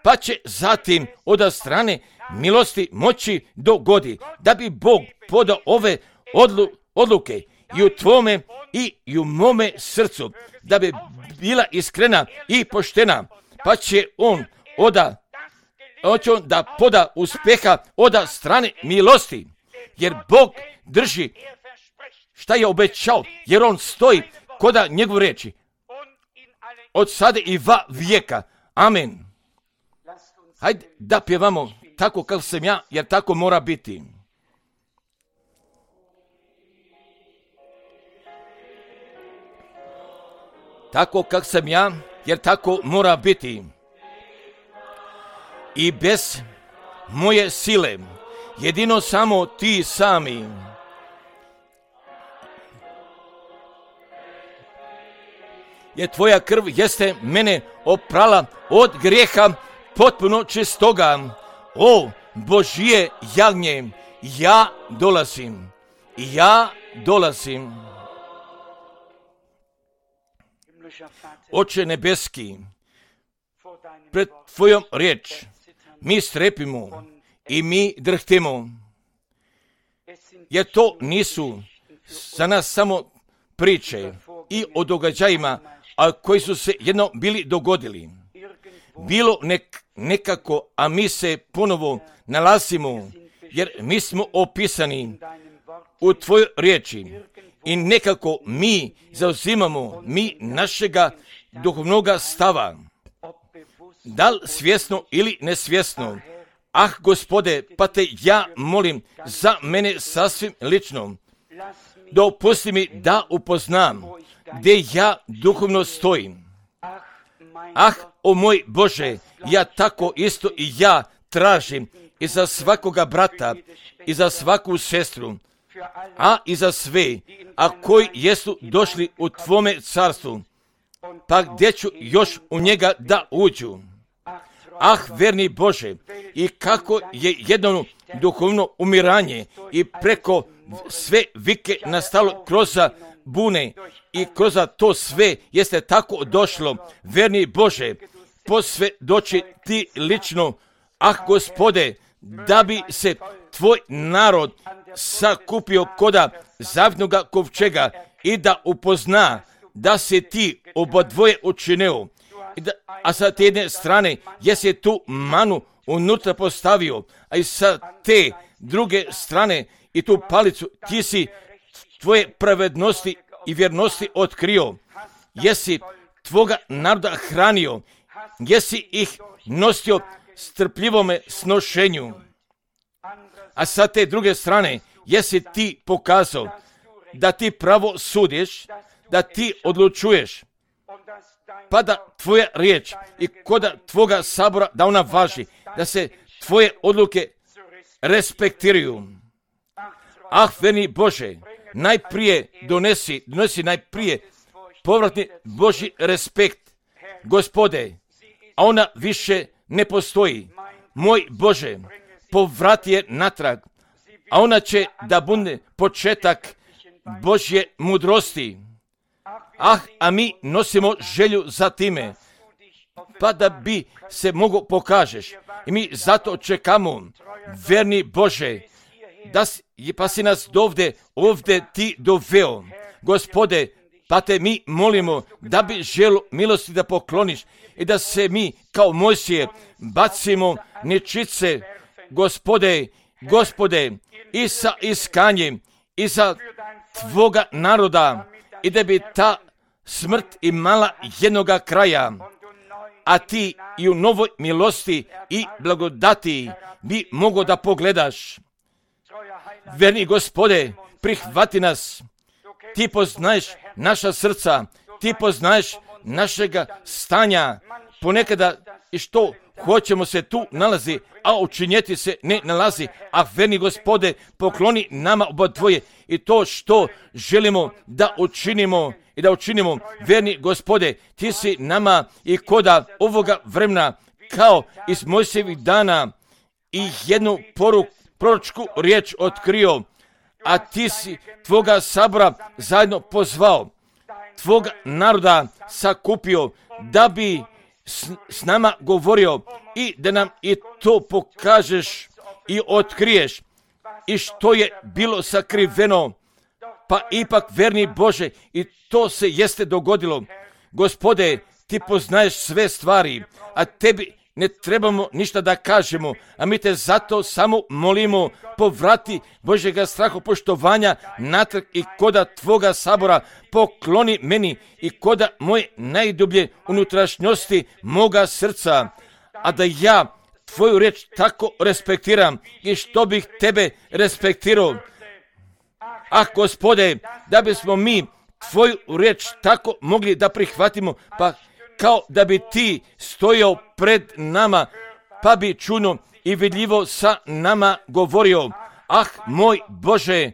pa će zatim od strane milosti moći dogodi, da bi Bog podao ove odlu, odluke i u tvome i, i u mome srcu, da bi bila iskrena i poštena, pa će on oda, on će on da poda uspeha od strane milosti, jer Bog drži šta je obećao, jer on stoji koda njegov reči od sada i va vijeka. Amen. Hajde da pjevamo tako kako sam ja, jer tako mora biti. Tako kako sam ja, jer tako mora biti. I bez moje sile, jedino samo ti sami. Jer tvoja krv jeste mene oprala od grijeha potpuno čistoga. O Božje jagnje, ja dolazim, ja dolazim. Oče nebeski, pred tvojom riječ mi strepimo i mi drhtimo, jer to nisu za nas samo priče i o događajima, a koji su se jedno bili dogodili. Bilo nek, nekako, a mi se ponovo nalazimo, jer mi smo opisani u tvojoj riječi i nekako mi zauzimamo mi našega duhovnoga stava, da li svjesno ili nesvjesno. Ah, Gospode, pa te ja molim za mene sasvim lično, dopusti mi da upoznam gdje ja duhovno stojim. Ah, o moj Bože, ja tako isto i ja tražim i za svakoga brata, i za svaku sestru, a i za sve, a koji jesu došli u tvome carstvu, pa gdje ću još u njega da uđu. Ah, verni Bože, i kako je jedno duhovno umiranje i preko sve vike nastalo kroz bune i kroz to sve jeste tako došlo. Verni Bože, posve doći ti lično, ah, Gospode, da bi se tvoj narod sakupio koda zavitnoga kovčega i da upozna da se ti obadvoje učinio. Da, a sa te jedne strane jesi tu manu unutra postavio, a i sa te druge strane i tu palicu ti si tvoje pravednosti i vjernosti otkrio. Jesi tvoga naroda hranio, jesi ih nosio strpljivome snošenju. A sa te druge strane jesi ti pokazao da ti pravo sudiš, da ti odlučuješ, pa da tvoja riječ i koda tvoga sabora da ona važi, da se tvoje odluke respektiraju. Ah, verni Bože, najprije donesi, donesi najprije povratni Božji respekt, Gospode, a ona više ne postoji. Moj Bože, povrati je natrag, a ona će da bude početak Božje mudrosti. Ah, a mi nosimo želju za time, pa da bi se mogo pokažeš. I mi zato čekamo, verni Bože, da si, pa si nas dovde, ovde ti doveo. Gospode, pa te mi molimo da bi želu milosti da pokloniš i da se mi kao Mojsije bacimo nečice, Gospode, Gospode, i sa iskanjem, i za tvoga naroda, i da bi ta smrt imala jednoga kraja, a ti i u novoj milosti i blagodati bi mogo da pogledaš. Verni Gospode, prihvati nas, ti poznaješ naša srca, ti poznaješ našega stanja, ponekada i što hoćemo se tu nalazi, a učinjeti se ne nalazi, a verni Gospode, pokloni nama oba dvoje i to što želimo da učinimo i da učinimo, verni Gospode, ti si nama i koda ovoga vremena, kao iz Mojsijevih dana, i jednu poruku, proročku riječ otkrio, a ti si tvoga sabora zajedno pozvao, tvoga naroda sakupio, da bi s, s nama govorio i da nam i to pokažeš i otkriješ i što je bilo sakriveno, pa ipak, verni Bože, i to se jeste dogodilo. Gospode, ti poznaješ sve stvari, a tebi ne trebamo ništa da kažemo, a mi te zato samo molimo, povrati Božjega strahopoštovanja natrag i koda tvoga sabora pokloni meni i koda moje najdublje unutrašnjosti moga srca, a da ja tvoju riječ tako respektiram i što bih tebe respektirao. Ah, Gospode, da bismo mi tvoju riječ tako mogli da prihvatimo, pa kao da bi ti stojao pred nama, pa bi čuno i vidljivo sa nama govorio. Ah, moj Bože,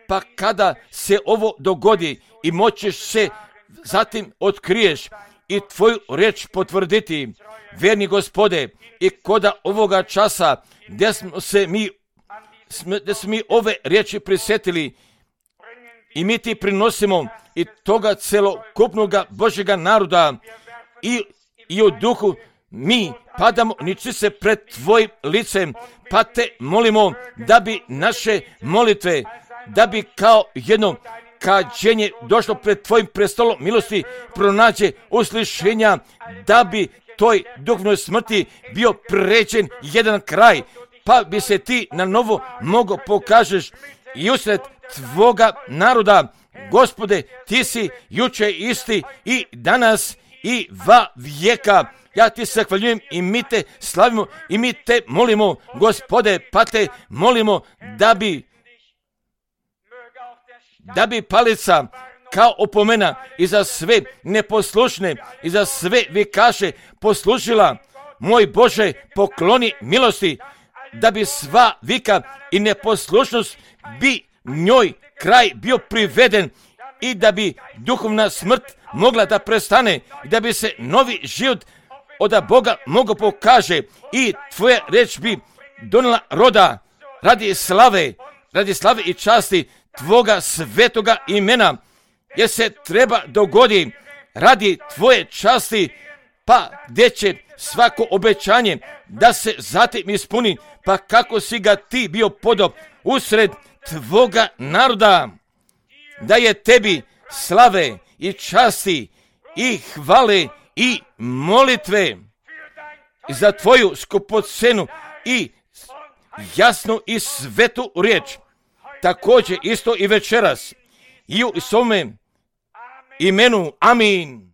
pa kada se ovo dogodi i moćeš se zatim otkriješ i tvoju riječ potvrditi, verni Gospode, i koda ovoga časa gdje smo se mi, gdje smo mi ove riječi prisjetili i mi ti prinosimo i toga celokupnoga Božjega naroda i, i u duhu mi padamo niči se pred tvojim licem, pa te molimo da bi naše molitve, da bi kao jedno kađenje došlo pred tvojim prestolom milosti, pronađe uslišenja, da bi toj duhovnoj smrti bio pređen jedan kraj, pa bi se ti na novo mogo pokažeš i usred tvoga naroda. Gospode, ti si juče isti i danas i va vijeka. Ja ti se zahvaljujem i mi te slavimo i mi te molimo, Gospode, pa te molimo da bi da bi palica kao opomena i za sve neposlušne i za sve vikaše poslužila. Moj Bože, pokloni milosti, da bi sva vika i neposlušnost bi njoj kraj bio priveden i da bi duhovna smrt mogla da prestane i da bi se novi život od Boga mogo pokaže i tvoja reč bi donela roda radi slave, radi slave i časti tvoga svetoga imena, jer se treba dogodi radi tvoje časti, pa gdje će svako obećanje da se zatim ispuni, pa kako si ga ti bio podao usred tvoga naroda, da je tebi slave i časti i hvale i molitve za tvoju skupocenu i jasnu i svetu riječ. Također isto i večeras i u svome imenu. Amin.